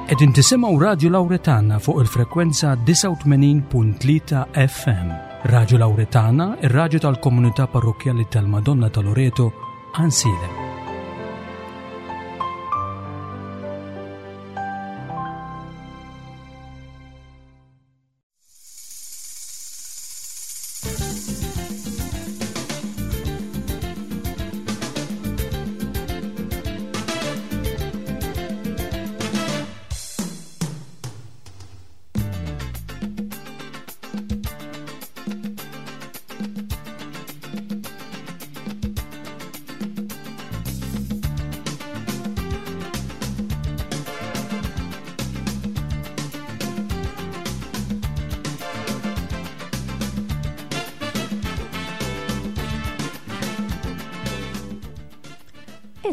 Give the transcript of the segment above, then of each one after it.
Qegħdin tisimgħu Radju Lawretana fuq il-frekwenza 89.3 FM. Radju Lawretana, ir-radju tal-komunità parrokkjali tal-Madonna ta' Loreto, Ansilem.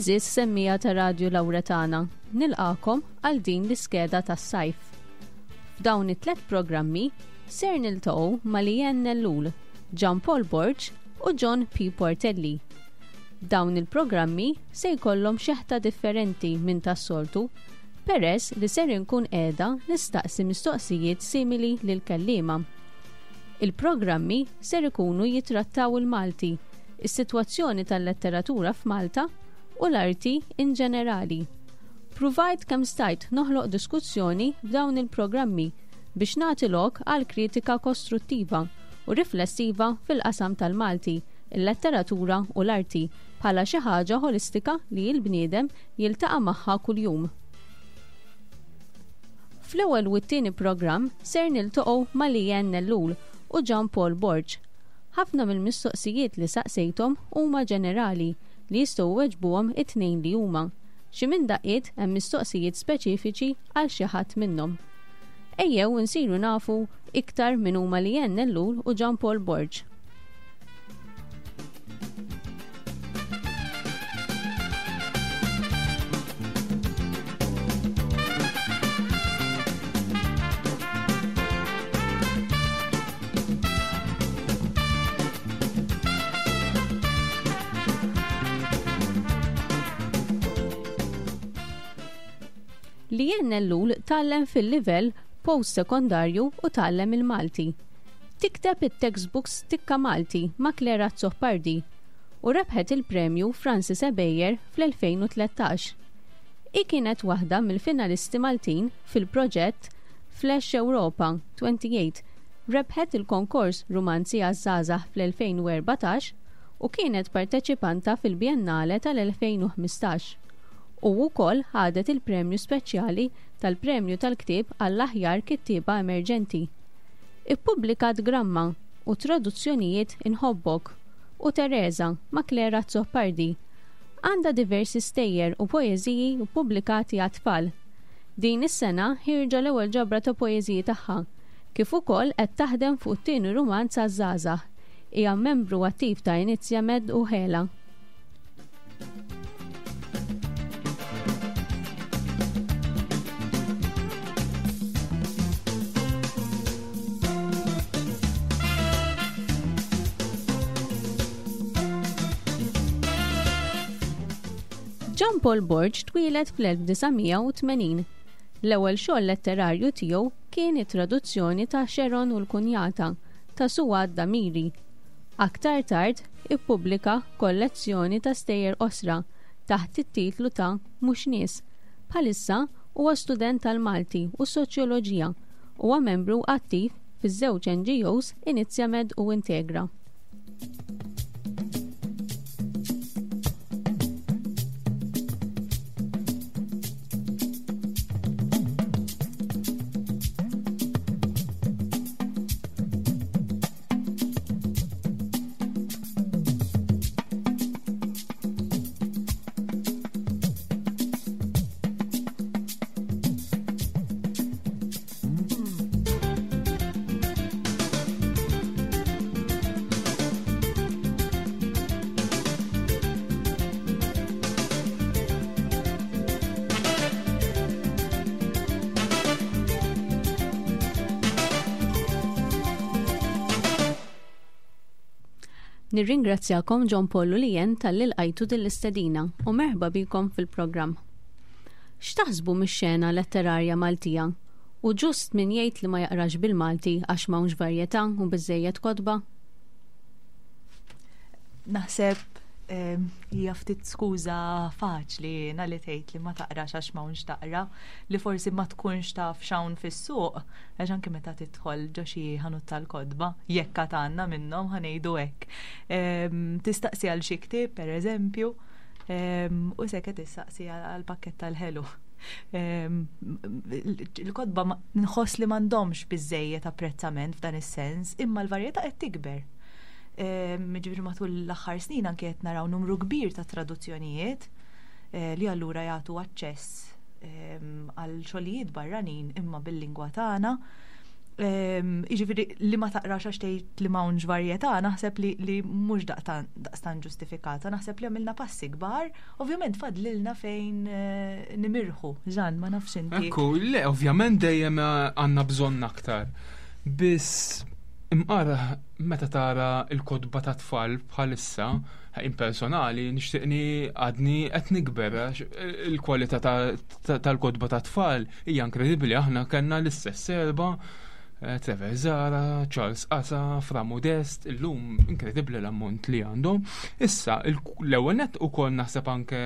Eżis semmija ta' Radju Lawretana, nilqakom għal din l-iskeda tas-sajf. F'dawn it-tlet programmi ser niltaqgħu ma' Lianne Ellul, Jean Paul Borg u John P. Portelli. Dawn il-programmi se jkollhom xeħta differenti minn tas-soltu peress li ser inkun qiegħda nistaqsi mistoqsijiet simili lill-kelliema. Il-programmi ser ikunu jitrattaw il-Malti, is-sitwazzjoni tal-letteratura f'Malta u l-arti in ġenerali. Pruvajt kemm stajt noħloq diskussjoni f'dawn il-programmi biex nagħti lok għal kritika kostruttiva u riflessiva fil-qasam tal-Malti, il-letteratura u l-arti bħala xi ħaġa ħolistika li l-bniedem jiltaqa' magħha kuljum. Fl-ewwel u t-tieni programm ser niltaqgħu ma' Leanne Ellul u Jean Paul Borg. Ħafna mill-mistoqsijiet li saqsejthom huma ġenerali li jistgħu jweġbuhom it-tnejn li huma. Xi minn daqqiet hemm mistoqsijiet speċifiċi għal xi ħadd minnhom. Ejjew insiru nafu iktar min huma Leanne Ellul u Jean Paul Borg. Li Ellul tgħallem fil-livell post-sekondarju u tgħallem il-Malti. Tikteb it-textbooks Tikka Malti ma' Claire Azzopardi u rebħet il-Premju Francis Ebejer fl-2013. Hi kienet waħda mill-finalisti Maltin fil-proġett Flash Europa 28, rebħet il-konkors Rumanzi għaż-Żgħażagħ fl-2014 u kienet parteċipanta fil-Biennale tal-2015. U wkoll ħadet il-premju speċjali tal-Premju tal-Ktieb għall-Aħjar Kittieba Emerġenti. Ippubblikat gramma u traduzzjonijiet Inħobbok u Tereża ma' Claire Azzopardi. Għandha diversi stejjer u poeżiji ppubblikati għat-tfal. Din is-sena ħierġa l-ewwel ġabra ta' poeżiji tagħha, kif ukoll qed taħdem fuq it-tieni rumanz għaż-żgħażagħ. Hija membru attiv ta' Inizjamed u Ħela. Jean Paul Borg twieled fl-1980. L-ewwel xogħol letterarju tiegħu kien it-traduzzjoni ta' Sharon u l-Kunjata ta' Suad Damiri. Aktar tard ippubblika kollezzjoni ta' stejjer qosra taħt it-titlu ta' Mhux Nies. Bħalissa huwa student tal-Malti u s-Soċjoloġija. Huwa membru attiv fiż-żewġ NGOs Inizjamed u Integra. Nirringrazzjakom John Paul u Lien talli lqajtu din l-istedina u merħba bikom fil-programm. X'taħsbu mix-xena letterarja Maltija? Hu ġust min jgħid li ma jaqrax bil-Malti għax m'hawnx varjetà u biżżejjed kotba? Naħseb hija ftit skuża faċli jiena li tgħid li ma taqrax għax m'hawnx taqra, li forsi ma tkunx taf x'hawn fis-suq, għax anke meta tidħol ġo xi ħanut tal-kotba, jekk għad għandna minnhom ħa ngħidu hekk. Tistaqsi għal xi ktieb pereżempju, u seket issaqsi għal pakkett tal-ħelu. Il-kotba nħoss li m'għandhomx biżejjed apprezzament f'dan is-sens, imma l-varjetà qed tikber. Ġifieri matul l-aħħar snin anke qed naraw numru kbir ta' traduzzjonijiet eh, li allura jagħtu aċċess għal xogħlijiet barranin imma bil-lingwa tagħna. Jiġifieri li ma taqrax għax tgħid li m'hawnx varjetà, naħseb li, li mhux daqstan ġustifikata, naħseb li għamilna passi kbar, ovvjament fadlilna fejn eh, nimirħu. Ġan, ma nafx inti. Ekku, le, ovvjament dejjem eh, għandna bżonn aktar. Biss imqar meta tara l-kotba ta' tfal bħalissa, impersonali, nixtieqni għadni qed nikber il-kwalità tal-kotba ta' tfal hija inkredibbli aħna kellna l-istess serba eh, Trevor Zara, Charles Asa, Fra Modest, illum inkredibbli l-ammont li għandhom. Issa, l-ewwel nett ukoll naħseb anke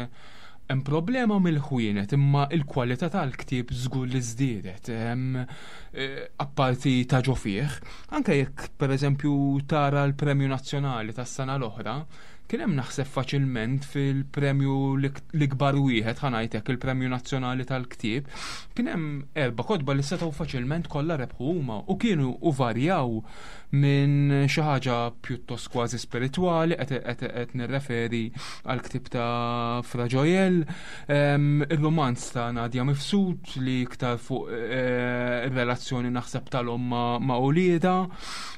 hemm problema mill-ħwienet imma il-kwalità tal-ktieb żgur li żdiedet. Eh, apparti ta' ġo fih, anke jekk pereżempju tara l-Premju Nazzjonali tas-sena l-oħra, kien hemm naħseb faċilment fil-premju l-ikbar wieħed ħa ngħid il-Premju Nazzjonali tal-Ktieb, kien hemm erba' kotba li setgħu faċilment kollha rebħu huma u kienu u varjaw minn xi ħaġa pjuttost kważi spiritwali qed nirreferi għal ktieb ta' Fra Joel, ir-romanz ta' Nadia Mifsud li iktar fuq eh, ir-relazzjoni naħseb tal-omm ma' uliedha,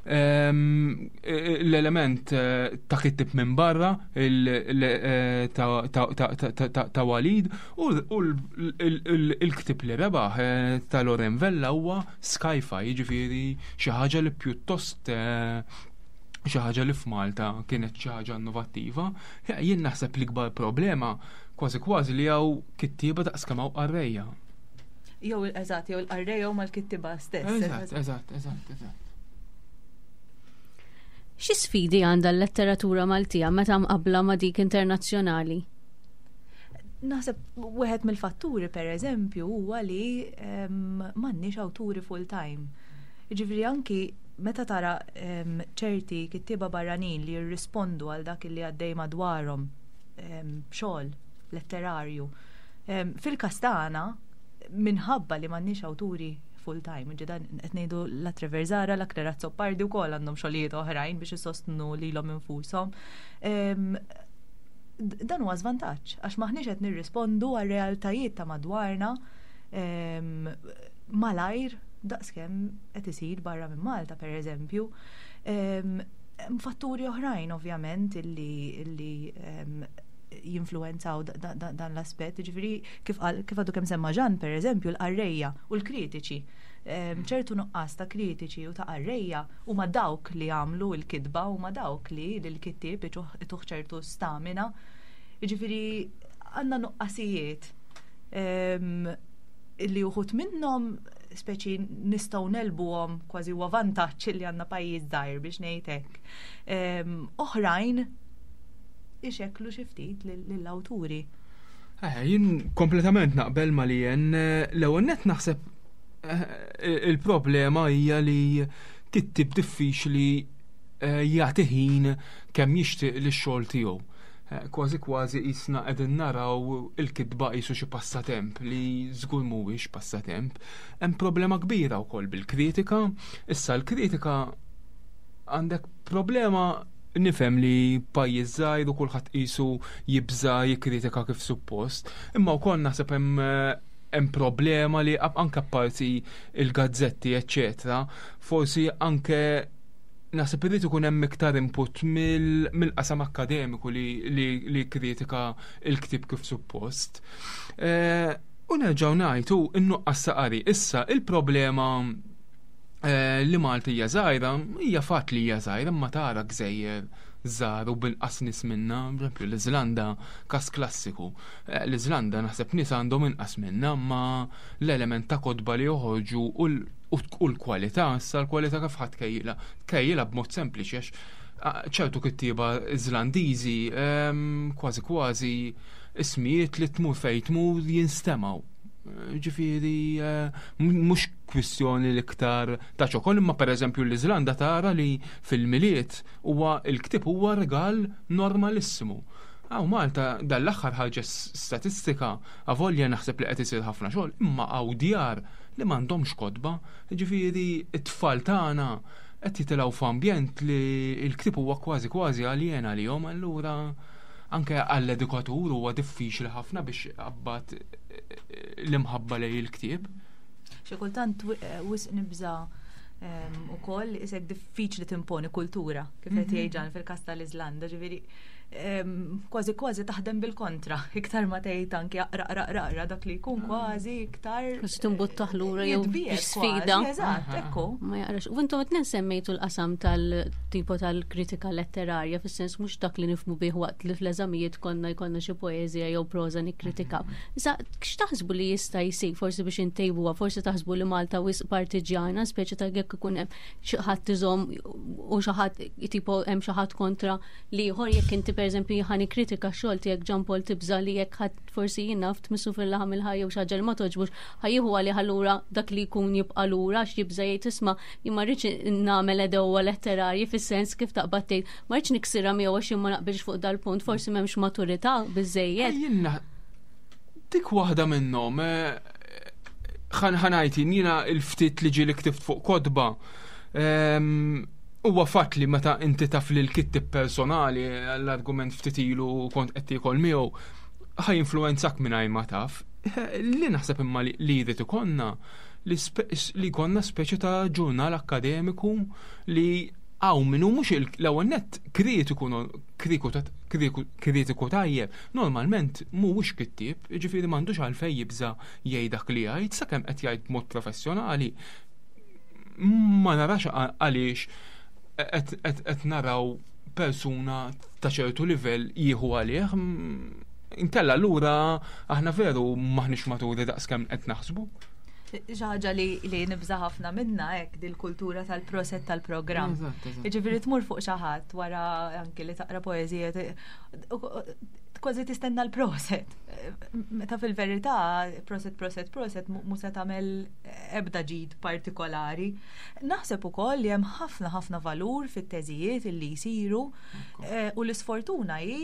l-element eh, ta' kittib minn barra eh, ta' Walid u l-ktib li rebaħ ta' Loren Vella huwa Skyfi, jiġifieri xi ħaġa li pjuttost eh, xi ħaġa li f'Malta kienet xi ħaġa innovattiva. Jien naħseb l-ikbar problema kważi kważi li hawn kittieba daqs kemm hawn qarrejja. Jew eżatt, jew il-qarrejja huma l-kittieba stess. Eżatt, eżatt, eżatt, eżatt. Xi sfidi għandha l-letteratura Maltija meta mqabbla ma' dik internazzjonali? Naħseb wieħed mill-fatturi pereżempju huwa li ehm, m'għandniex awturi full-time. Jiġifieri anki meta tara ehm, ċerti kittieba barranin li jirrispondu għal dak li għaddej madwarhom ehm, xogħol letterarju. Fil-każ tagħna minħabba li m'għandniex awturi full time, ġidan qed ngħidu la Trevor Zara, la Claire Azzopardi wkoll għandhom xogħlijiet oħrajn biex isostnu lilhom infushom dan huwa żvantaġġ għax maħniex qed nirrispondu għal realtajiet ta' madwarna ehm, malajr daqskemm qed isir barra minn Malta pereżempju. Ehm, hemm fatturi oħrajn ovvjament illi, illi ehm, jinfluenzaw dan l-aspett, ġifieri kif għadu kemm semma Ġan pereżempju l-qarrejja u l-kritiċi. Ċertu nuqqas ta' kritiċi u ta' qarrejja huma dawk li jagħmlu l-kitba, huma dawk li lill-kittieb ituh ċertu stamina. Jiġifieri għandna nuqqasijiet ehm, li uħut minnhom speċi nistgħu nelbuhom kważi huwa vantaġġ li għandna pajjiż żgħir biex ngħid hekk. Ehm, oħrajn ixekklu xi ftit lill-awturi. Eh, jien kompletament naqbel ma li jen l-ewwel nett naħseb eh, il-problema hija li kittib diffiċli eh, jagħti ħin kemm jixtieq lix-xogħol tiegħu. Eh, kważi kważi qisna qegħdin naraw il-kitba qisu xi passatemp li żgur mhuwiex passatemp. Hemm problema kbira wkoll bil-kritika. Issa l-kritika għandek problema nifhem li pajjiż żgħir u kulħadd qisu jibża jikkritika kif suppost, imma wkoll naħseb hemm eh, hemm problema li anke apparti il-gazzetti eċċetera, forsi anke naħseb irid ikun hemm iktar input mill-qasam akkademiku li kritika il-ktieb kif suppost. Eh, u nerġgħu ngħidu n-nuqqas saqari. Issa il-problema eh, li Malta hija żgħira, hija fatt li hija żgħira imma tara gżejjer żgħar u b'inqas nies minna, pereżempju l-Iżlanda każ klassiku. Eh, L-Iżlanda naħseb nies għandhom inqas minna, ma l-element ta' kotba li joħorġu u l-kwalità, issa l-kwalità kif ħadd tkejjilha? Tkejjilha b'mod sempliċi għax ċertu kittieba Iżlandiżi ehm, kważi kważi ismijiet li tmur fejn tmur jinstemgħu. Ġifieri eh, mhux kwistjoni l-iktar ta' ċokol, imma pereżempju l-Iżlanda tara li fil-Milied huwa l-ktieb huwa rigal normalissimu. Hawn Malta dal-aħħar ħarġet statistika, avolja naħseb li qed isir ħafna xogħol, imma hawn djar li m'għandhomx kotba, ġifieri t-tfal tagħna qed jitilgħu f'ambjent li l-ktieb huwa kważi kważi aljen għalihom, allura anke għall-edukatur huwa diffiċli ħafna biex iqabbad l-imħabba lejn il-ktieb. Xi kultant eh, wisq nibża ehm, ukoll isek diffiċli timponi kultura kif qed mhm. jgħid fil-każ tal-Iżlanda, ġifieri kważi kważi taħdem bil-kontra, iktar ma tgħid anki aqra aqra aqra dak li jkun ah. kważi iktar. Kważi timbuttaħ lura jew sfida. Eżatt, ekku. Ma jaqrax. U intom qed semmejtu l-qasam tal-tipo tal-kritika letterarja fis-sens mhux dak li nifmu bih waqt li fl-eżamijiet konna jkollna xi poeżija jew proża nikkritikaw. Mhm. Issa x'taħsbu li jista' jsir forsi biex intejbuha, forsi taħsbu li Malta wisq partiġjana, speċi ta' jekk ikun hemm xi ħadd iżomm u xi ħadd tipo hemm xi ħadd kontra l-ieħor jekk inti pereżempju ħa nikkritika x-xogħol tiegħek Jean Paul tibża' li jekk ħadd forsi jien naf tmissu fil-laħam il-ħaj jew xi ħaġa li ma togħġbux ħa jieħu għalih allura dak li jkun jibqa' lura għax jibża' jgħid isma' jien ma rridx nagħmel għedewwa letterarji fis-sens kif taqbad tgħid ma rridx niksirha miegħu għax jien ma naqbilx fuq dal-punt forsi m'hemmx maturità biżżejjed. Jien dik waħda minnhom eh, ħanajt jiena il-ftit li ġieli ktibt fuq kotba ehm, huwa fatt li meta inti taf li l-kittib personali l-argument ftit ilu kont qed tiekol miegħu ħa jinfluwenzak mingħajr ma taf. Li naħseb imma li jrid ikollna li jkollna speċi ta' ġurnal akkademiku li hawn min hu mhux l-ewwel nett kritiku kritiku tajjeb, normalment mhuwiex kittieb, jiġifieri m'għandux għalfejn jibża' jgħid dak li jgħid sakemm qed jgħid b'mod professjonali. Ma narax għaliex qed naraw persuna ta' ċertu livell jieħu għalih. Inkella allura aħna veru maħniex maturi daqskemm qed naħsbu. Xi ħaġa li, li nibża ħafna minna hekk dil-kultura tal-proset tal-programm. Jiġifieri tmur fuq xi ħadd wara anki li taqra poeżija kważi tistenna l-proset. Meta fil-verità proset proset proset mhu se tagħmel ebda ġid partikolari. Naħseb ukoll li hemm ħafna ħafna valur fit-teżijiet li jsiru eh, u l-isfortuna hi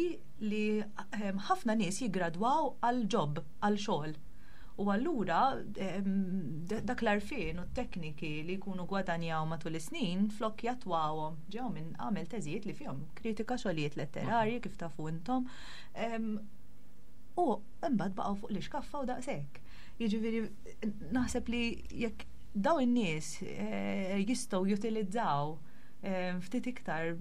li eh, ħafna nies jiggradwaw għal ġob, għal xogħol. U allura dak l-għarfien u t-tekniki li jkunu gwadanjaw matul is-snin flok jattwawhom ġew minn għamel teżijiet li fihom kritika xogħlijiet letterarji kif tafu intom. U imbagħad baqgħu fuq l-ixkaffa u daqshekk. Jiġifieri naħseb li jekk daw in-nies eh, jistgħu jutilizzaw ftit iktar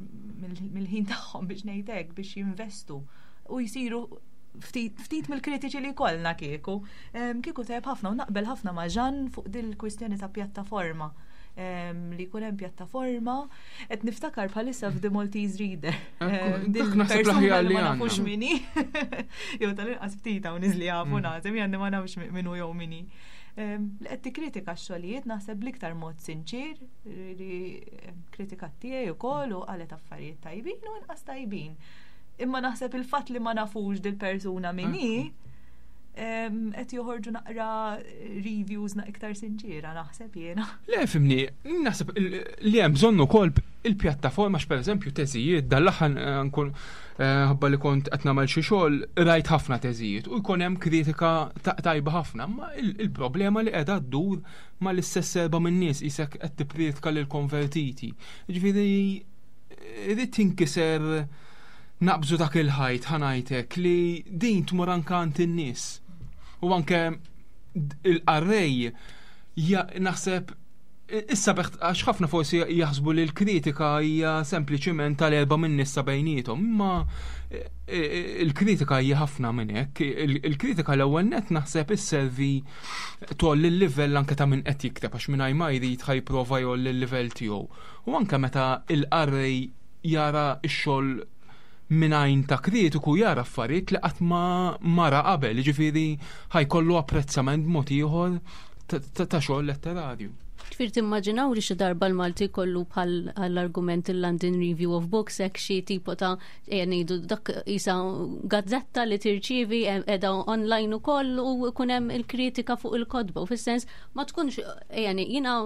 mill-ħin tagħhom biex ngħid hekk biex jinvestu u jsiru ftit mill-kritiċi li jkollna kieku. Kieku tajjeb ħafna u naqbel ħafna ma' Ġan fuq dil-kwistjoni ta' pjattaforma li jkun hemm pjattaforma qed niftakar bħalissa f'The Maltese Reader. Dak naħseb l-aħjar li ma nafux mini. Jew tal-inqas ftit hawn nies li jafu mm. naħseb jgħanni ma nafx minnu jew mini. Li qed tikkritika x-xogħlijiet naħseb bl-iktar mod sinċir li kritika tiegħi wkoll u qalet affarijiet tajbin u inqas tajbin. Imma naħseb il-fatt li ma nafux dil-persuna min hi qed joħorġu naqra reviews na iktar sinċiera naħseb jiena. Le fimni, naħseb li hemm bżonn ukoll il-pjattaforma x'pereżempju teżijiet dal-aħħar eh, nkun eh, ħabba li kont qed nagħmel xi xogħol rajt ħafna teżijiet u jkun hemm kritika tajba ħafna, ma il-problema li qiegħda ddur mal-istess serba minn nies isek qed tipprietka lil konvertiti. Ġifieri Irid tinkiser naqbżu dak il-ħajt ħanajtek li din tmur anke għand in-nies. U anke il-qarrej naħseb issa beħt għax ħafna forsi jaħsbu li l-kritika hija sempliċiment tal-erba' minn nisa bejniethom, imma e, e, il-kritika hija ħafna minn hekk. Il-kritika l-ewwel net naħseb isservi tolli l-livell anke ta' min qed jikteb għax mingħajr ma jrid ħajprova jolli l-livell tiegħu. U anke meta l-qarrej jara x-xogħol minn għajn ta' kritiku jara affarijiet li qatt ma mara qabel, jiġifieri ħajkollu apprezzament b'mod ieħor ta' xogħol letterarju. Ġifieri timmaġinaw li xi darba l-Malti jkollu bħal għall-argument il-London Review of Books hekk xi tipo ta' ejja ngħidu dak isa gazzetta li tirċievi qiegħda online ukoll u jkun hemm il-kritika fuq il-kotba u fis-sens ma tkunx ejja jiena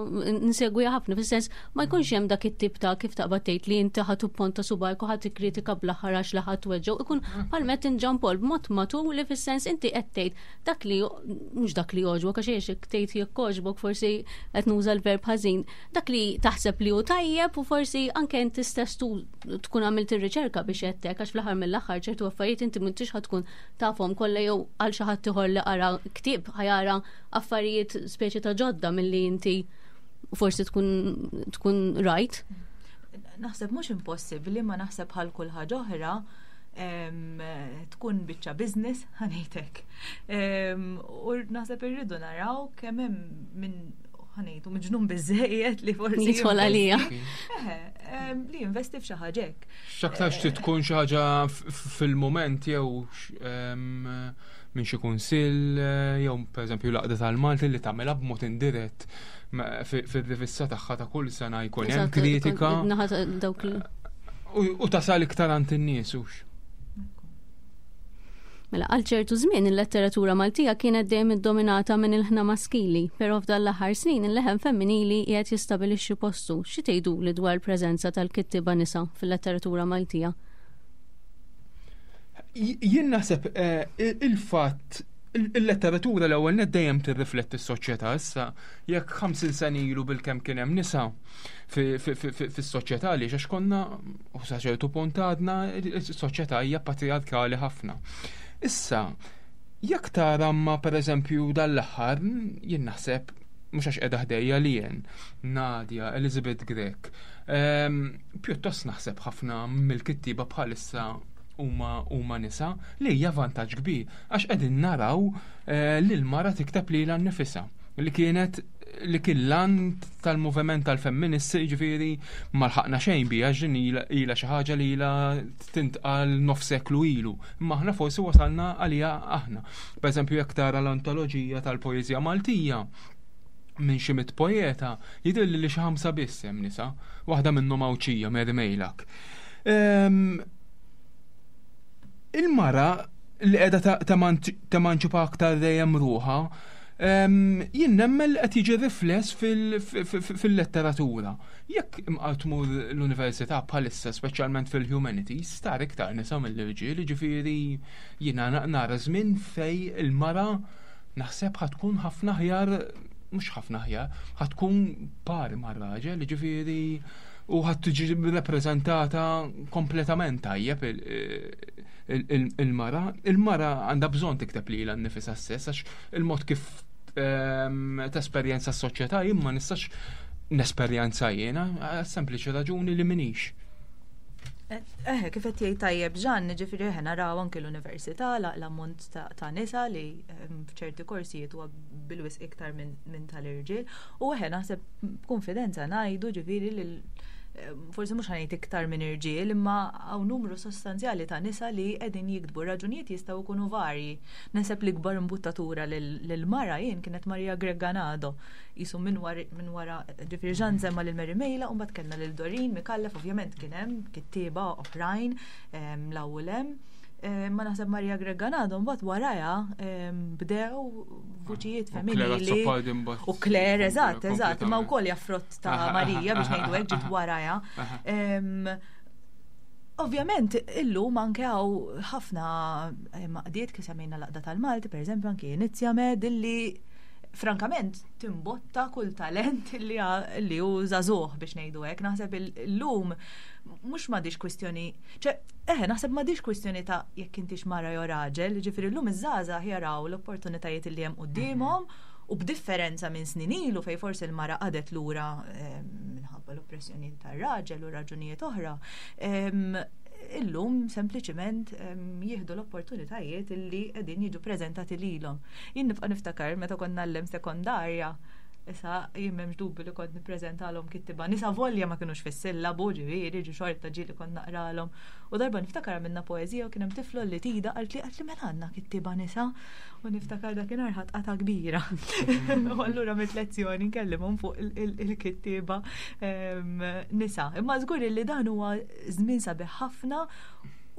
nsegwiha ħafna fis-sens ma jkunx hemm dak it-tip ta' kif taqbad tgħid li inti ħadd ponta subajk u ħadd ikkritika bl-aħħar għax li ħadd weġġgħu ikun bħal met inġampol b'mod matur li fis-sens inti qed tgħid dak li mhux dak li jogħġbok għax jekk tgħid jekk għoġbok forsi qed nuża l-verb ħażin, dak li taħseb li hu tajjeb u forsi anke inti stess tkun għamilt ir-riċerka biex qed hekk għax fl-aħħar mill-aħħar ċertu affarijiet inti m'intix ħa tkun tafhom kollha jew għal xi ħadd ieħor li qara ktieb ħajara affarijiet speċi ta' ġodda milli inti forsi tkun tkun rajt. Naħseb mhux impossibbli ma naħseb bħal kull ħaġa oħra tkun biċċa business ħanejtek. U naħseb irridu naraw kemm hemm minn ħanejtu miġnun biżejjed li forsi. Jidħol għalija. Li jinvesti f'xi ħaġa hekk. X'aktarx trid tkun xi ħaġa fil-mument jew minn xi kunsill jew pereżempju l-Għaqda tal-Malti li tagħmilha b'mod indirett fir-rivista tagħha ta' kull sena jkun hemm kritika. U tasal iktar għand in-nies hux. Mela għal ċertu żmien il-letteratura Maltija kienet dejjem iddominata minn ilħna maskili, però f'dan l-aħħar snin il-leħen femminili qiegħed jistabilixxi postu. Xi tgħiduli dwar il-preżenza tal-kittieba nisa fil-letteratura Maltija? Jien naħseb eh, il-fatt il-letteratura l-ewwel net dejjem tirrifletti s-soċjetà issa jekk 50 sena ilu bilkemm kien hemm nisa fis-soċjetà li għax konna u sa ċertu punt għadna is-soċjetà hija patriarkali ħafna. Issa, jekk tara ma pereżempju dal-aħħar jien naħseb mhux għax qiegħda ħdejja li jien, Nadia, Elizabeth Grech, ehm, pjuttost naħseb ħafna mill-kittieba bħalissa huma huma nisa li hija vantaġġ kbir għax qegħdin naraw eh, li l-mara tikteb lilha nnifisha li kienet li kien lan tal-moviment tal-femministi ġifieri ma lħaqna xejn biha din ilha xi ħaġa li ilha tintqal nofs seklu ilu. Imma aħna forsi wasalna għaliha aħna. Pereżempju jekk tara l-antoloġija tal-poeżija Maltija minn xi mit poeta jidhirli li xi ħamsa biss hemm nisa, waħda minnhom Għawdxija Mary Mejlak. Ehm, il-mara li qiegħda temanċipa aktar dejjem ruħha, ehm, jien nemmen li qed jiġi rifless fil-letteratura. Jekk imqar tmur l-università bħalissa, speċjalment fil-humanities, tara iktar nisa mill-irġiel, jiġifieri jiena nara żmien fej il-mara naħseb ħa tkun ħafna aħjar, mhux ħafna aħjar, ħa tkun pari mar-raġel, jiġifieri u ħa tiġi rappreżentata kompletament tajjeb il-mara. Il-mara għandha bżonn tikteb lilha nnifisha stess għax il-mod kif ehm, tesperjenza s-soċjetà jien ma nistax nesperjenza jiena, sempliċi raġuni li minix. Eh, kif qed jgħid tajjeb Ġan, ġifieri eħe naraw anke l-università l-ammont ta' nisa li ehm, f'ċerti korsijiet huwa bil-wisq iktar minn tal-irġiel. U eħe naħseb b'konfidenza ngħidu ġifieri li ehm, forsi mhux ħanejt iktar minn irġiel, imma hawn numru sostanzjali ta' nisa li qegħdin jiktbu. Raġunijiet jistgħu jkunu varji. Naħseb l-ikbar imbuttatura lil mara jien kienet Maria Grech Ganado jisu minn wara ġifieri Ġan semma lil Mary Mejla u mbagħad kellna lil Doreen Micallef ovvjament kien hemm kittieba oħrajn l-ewwel hemm. Ma naħseb Maria Grech Ganado mbagħad warajha bdew vuċijiet femminili. U Claire, eżatt, eżatt, ma wkoll hija frott ta' Maria biex ngħidu hekk ġiet warajha. Ovvjament, illum anke hawn ħafna għaqdiet kif semmejna l-Għaqda tal-Malti, per eżempju, anke Inizjamed, illi frankament timbotta kull talent li li hu żagħżugħ biex ngħidu hekk. Naħseb illum mhux m'għadix kwistjoni, ċe, eħe, naħseb m'għadix kwistjoni ta' jekk intix mara jew raġel, ġifieri llum iż-żgħażagħ jaraw l-opportunitajiet li hemm quddiemhom u b'differenza minn snin ilu fej forsi l-mara qagħdet lura eh, minħabba l-oppressjoni tar-raġel u raġunijiet oħra. Illum sempliċiment jieħdu l-opportunitajiet illi qegħdin jiġu preżentati lilhom. Jien nibqa' niftakar meta konna ngħallem sekondarja. Issa jien m'hemmx dubju li kont nippreżentalhom kittiba nisa volja ma kinux fis-sillabu, ġifieri, ġi xorta ġieli kont naqralhom. U darba niftakar għamilna poeżija u kien hemm tifla li tida qaltli qaltli mela għandna kittiba nisa u niftakar dakinhar ħadd qata' kbira. U allura għamilt lezzjoni nkellimhom fuq il-kittieba ehm, nisa. Imma żgur li dan huwa żmien sabiħ ħafna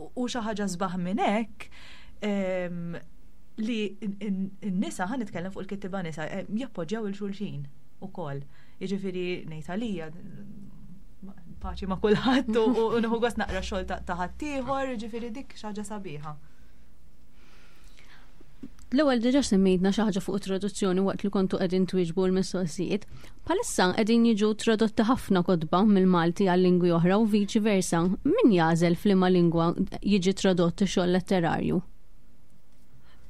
u xi ħaġa sbaħ minn hekk ehm, li n-nisa, ħa nitkellem fuq il-kittiba nisa, eh, jappoġġjaw il-xulxin ukoll. Jiġifieri ngħid għalija paċi ma' kulħadd u nieħu gost naqra xogħol ta' ħaddieħor, jiġifieri dik xi ħaġa sabiħa. L-ewwel diġà semmejtna xi ħaġa fuq traduzzjoni waqt li kontu qegħdin twieġbu l-mistoqsijiet. Bħalissa qegħdin jiġu tradotti ħafna kotba mill-Malti għal lingwi oħra u viċi versa. Min jagħżel f'liema lingwa jiġi tradott ix-xogħol letterarju?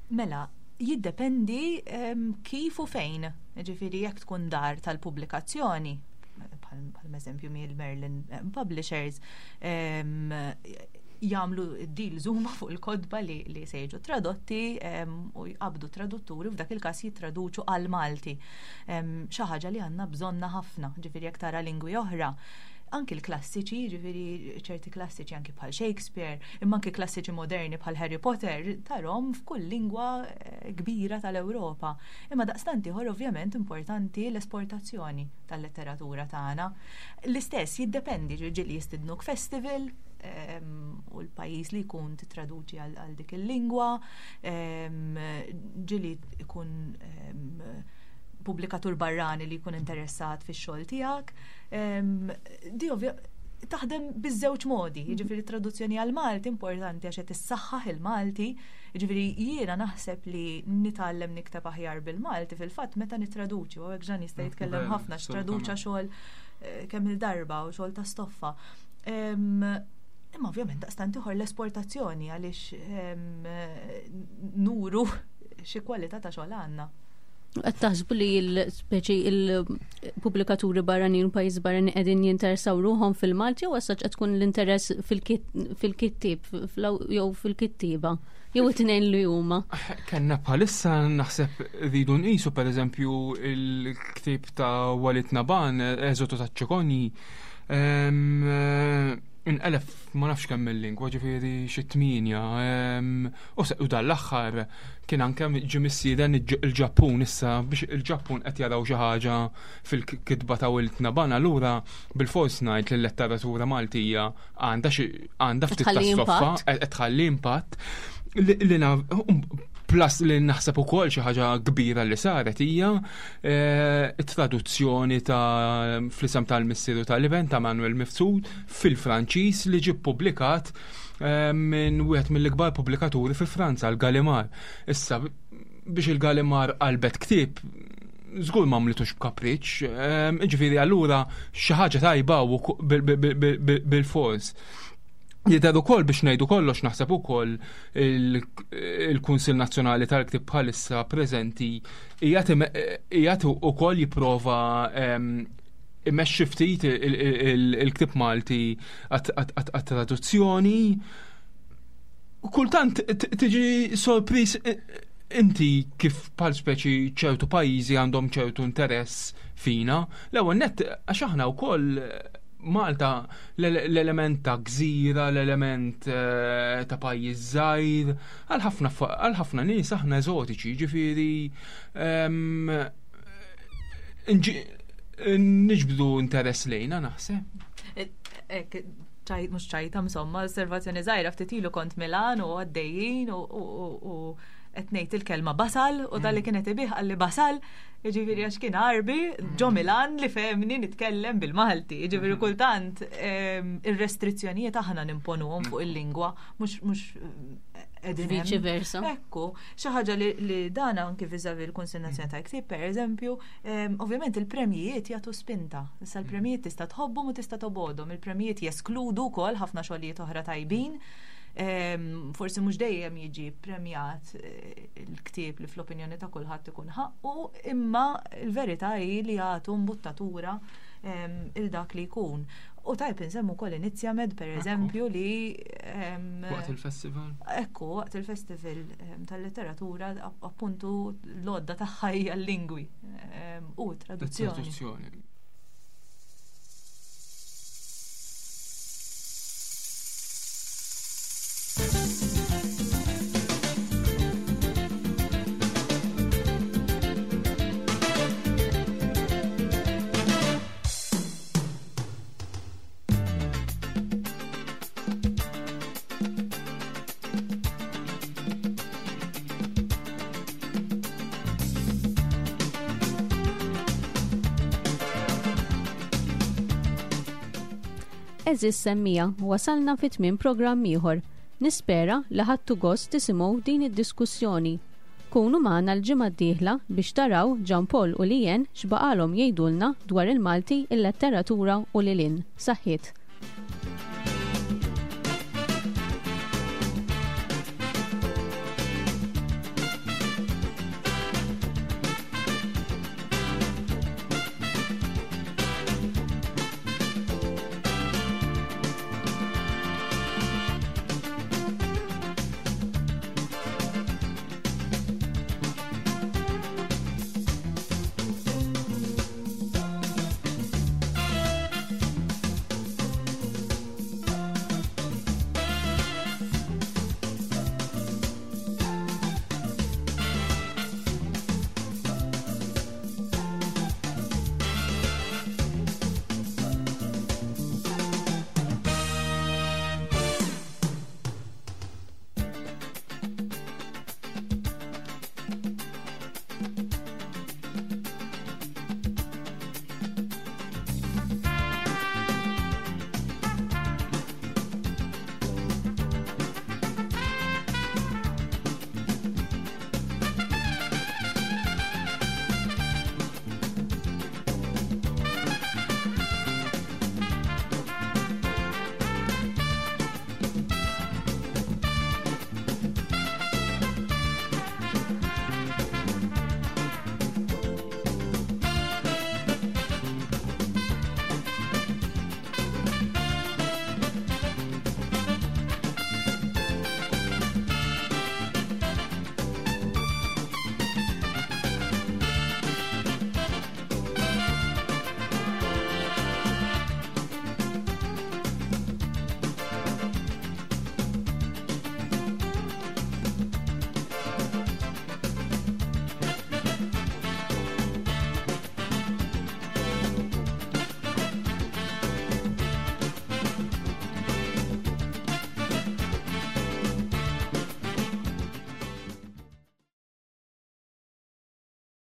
Mela, jiddependi kif u fejn. Ġifieri jekk tkun dar tal-pubblikazzjoni, bħal eżempju mill Merlin Publishers, jagħmlu deals huma fuq il-kotba li, li se jiġu tradotti u jqabdu tradutturi f'dak il-każ jittraduċu għal Malti. Xi ħaġa li għandna bżonna ħafna, ġifieri jekk tara lingwi oħra anki l-klassiċi, ġifiri ċerti klassiċi anki bħal Shakespeare, imma anki klassiċi moderni bħal Harry Potter, tarom f'kull lingwa eh, kbira tal-Ewropa. Imma daqstant ieħor ovvjament importanti l-esportazzjoni tal-letteratura tagħna. L-istess jiddependi ġieli jistidnuk festival, ehm, u l-pajjiż li jkun titraduċi għal dik il-lingwa, ehm, ġieli ikun ehm, pubblikatur barrani li jkun interessat fix-xogħol tiegħek. Di ovvja taħdem biż-żewġ modi, jiġifieri traduzzjoni għal Malti importanti għax qed issaħħaħ il-Malti, jiġifieri jiena naħseb li nitgħallem nikteb aħjar bil-Malti fil-fatt meta nittraduċi, u hekk Ġan jista' jitkellem ħafna x'traduċa xogħol eh, kemm il-darba u xogħol ta' stoffa. Imma ovvjament daqstant ieħor l-esportazzjoni għaliex nuru xi kwalità ta' xogħol għandna. Qed taħsbu li l-speċi il-pubblikaturi barranin u pajjiż barranin qegħdin jinteressaw ruħhom fil-Malti jew għasaċ qed tkun l-interess fil-kittieb jew fil-kittieba jew it-tnejn li huma. Kenna bħalissa naħseb rridu nqisu pereżempju il-ktieb ta' Walid Naban, Eżotu ta' ċikonji, ehm, inqelef ma nafx kemm il-lingwa ġifieri xi tmienja ehm, u dan l-aħħar kien anke ġie missieden il-Ġappun issa biex il-Ġappun qed jaraw xi ħaġa fil-kitba ta' Wilt Naban allura bil-fors ngħid li l-letteratura Maltija għandha xi għandha ftit ta' stoffa qed tħalli impatt li plus li naħseb ukoll xi ħaġa kbira li saret hija eh, it-traduzzjoni ta' fl-isem tal-missieru tal-iben ta' Manuel Mifsud fil-Franċiż li ġie ppubblikat eh, minn wieħed mill-ikbar pubblikaturi fi Franza, l-Gallimard. Issa biex il-Gallimard qalbet ktieb żgur ma għamlitux b'kapriċ, eh, ġifieri allura xi ħaġa tajba bil-fors. Jidher ukoll biex ngħidu kollox naħseb ukoll il-Kunsill Nazzjonali tal-Ktieb bħalissa preżenti qiegħed ukoll jipprova ehm, imexxi ftit il-ktieb Malti għat-traduzzjoni. Kultant tiġi sorpriż inti kif bħal speċi ċertu pajjiżi għandhom ċertu interess fina. L-ewwel nett għax aħna wkoll Malta l-element ta' gżira, l-element eh, ta' pajjiż żgħir, għal ħafna nies aħna eżotiċi, ġifieri ehm, niġbdu interess lejna naħseb. Eh, mhux ċajta insomma, osservazzjoni żgħira ftit ilu kont Milan u għaddejjin u qed ngħid il-kelma basal u dalli mm. kienet ibih qalli basal, jiġifieri għax kien Arbi ġo mm. Milan li fehmni nitkellem bil-Malti. Jiġifieri mm. kultant ehm, ir-restrizzjonijiet aħna nimponuhom fuq il-lingwa mhux mhux eh, qegħdin Viċi versa. Ekku, xi ħaġa li dan anki viżavi l-Kunsill Nazzjonali tal-Ktieb, pereżempju, ehm, ovvjament il-premjijiet jagħtu spinta. Issa l-premjijiet tista' tħobbhom u tista' tobgħodhom. Il-premjijiet jeskludu wkoll ħafna xogħlijiet oħra tajbin. Forsi mhux dejjem jiġi premjat eh, il-ktieb li fl-opinjoni ta' kulħadd ikun ħaqqu, imma l-verità hi li jagħtu mbuttatura il dak li jkun. U tajb insemmu wkoll Inizjamed per eżempju li Waqt il-festival? Ekku, waqt il-festival tal-letteratura appuntu l-għodda tagħha hija l-lingwi. U traduzzjoni. Traduzzjoni. Eżis semmija, wasalna fi tmiem programm ieħor. Nispera li ħadtu gost tisimgħu din id-diskussjoni. Kunu magħna l-ġimgħa d-dieħla biex taraw Jean Paul u Lien x'baqalhom jgħidulna dwar il-Malti, il-letteratura u lil hinn. Saħħiet.